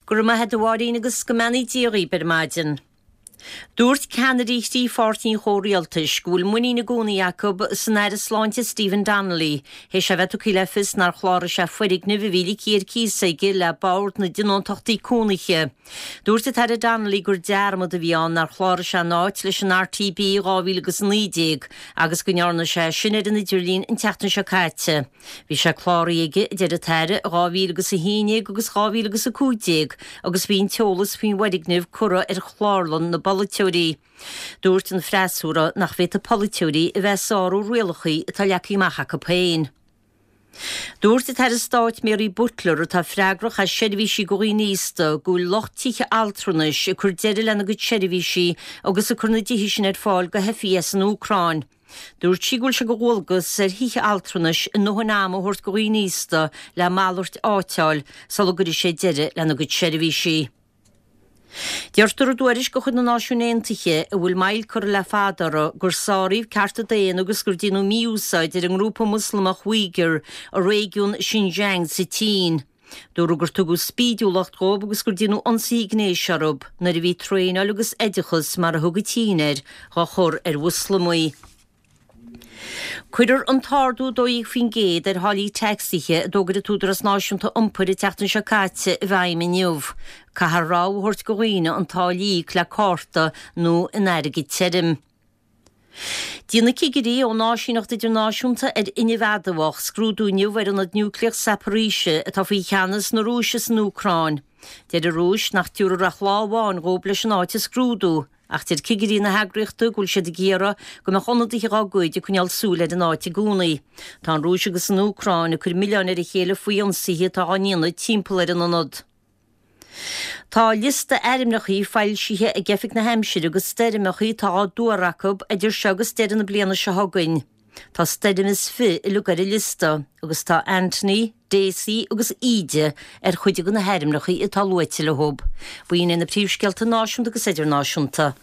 Go raibh maith a't a Mháirín agus go mbeannaí Dia dhaoib ar maidin. Dúirt ceannairí thrí pháirtí an chomhrialtais go bhfuil muinín i gcónaí acu san Aire Sláinte Stephen Donnelly théis é a bheith tugtha le fios nár chláraigh sé foirgneamh a bhí ligthe ar cíos aige le Bord na dTionóntachtaí Cónaithe. Dúirt an tAire Donnelly gur dearmad a bhí ann nár chláraigh sé an áit leis an RTB i 2019 agus go ndearna sé sin ar an idirlíon an tseachtain seo caite. Bhí sé cláraithe aige, a deir an tAire, i 2011 agus 2015 agus bhí an t-eolas faoin bhfoirgneamh curtha ar chlárlann na bpolaiteoirí. Dúirt an freasúra nach bhféadfadh polaiteoirí a bheith ag sárú rialacha atá leagtha amach acu féin. Dúirt an tAire Stáit Mary Butler, atá freagrach as seirbhísí do dhaoine aosta, go bhfuil lucht tithe altranais ag cur deireadh lena gcuid seirbhísí agus ag cur na dtithe sin ar fáil do theifigh as an Úcráin. Dúirt sí go bhfuil sé de dhualgas ar thithe altranais a ndóthain ama a thabhairt do dhaoine aosta le malairt áite a fháil sula gcuirfidh siad deireadh lena gcuid seirbhísí. Deirtear i dtuairisc de chuid na Náisiún Aontaithe, a bhfuil moill curtha le fada uirthi, gur sáraíodh cearta daonna agus gur déanadh mí-úsáid ar an ngrúpa Moslamach Uighur i réigiún Xinjiang sa tSín. Dúradh gur tugadh spídiúlacht dhóibh agus gur déanadh ionsaithe gnéis orthu nuair a bhí traenáil agus oideachas, mar a thug an tSín air, dhá chur ar Mhoslamaigh. Cuirfear an t-ardú 12% ar tháillí tacsaithe a d'fhógair an tÚdarás Náisiúnta Iompair an tseachtain seo caite i bhfeidhm inniu. Caithfear rogha a thabhairt do dhaoine an táille a íoc le cárta nó in airgead tirim. Déanfaidh cigirí ón Áisíneacht Idirnáisiúnta ar Fhuinneamh Adamhach scrúdú inniu ar ionad núicléach Zaporizhzhia atá faoi cheannas na Rúise san Úcráin. Deir an Rúis nach dtabharfar ach lá amháin dhóibh leis an áit a scrúdú, ach deir cigirí na heagraíochta go bhfuil siad ag iarraidh go mbeadh ionadaithe dhá gcuid ag coinneáil súil ar an áit i gcónaí. Tá an Rúis agus an Úcráin ag cur milleáin ar a chéile faoi ionsaithe atá á ndéanamh timpeall ar an ionad. Tá liosta airmneachaí foilsithe ag Oifig na hAimsire de stoirmeachaí atá á dtuar acu idir seo agus deireadh na bliana seo chugainn. Tá stoirm is fi uilig ar an liosta agus tá Anthony, Daisy agus Íde ar chuid de na hairmneachaí atá luaite leo. B'in iad na príomhscéalta náisiúnta agus idirnáisiúnta.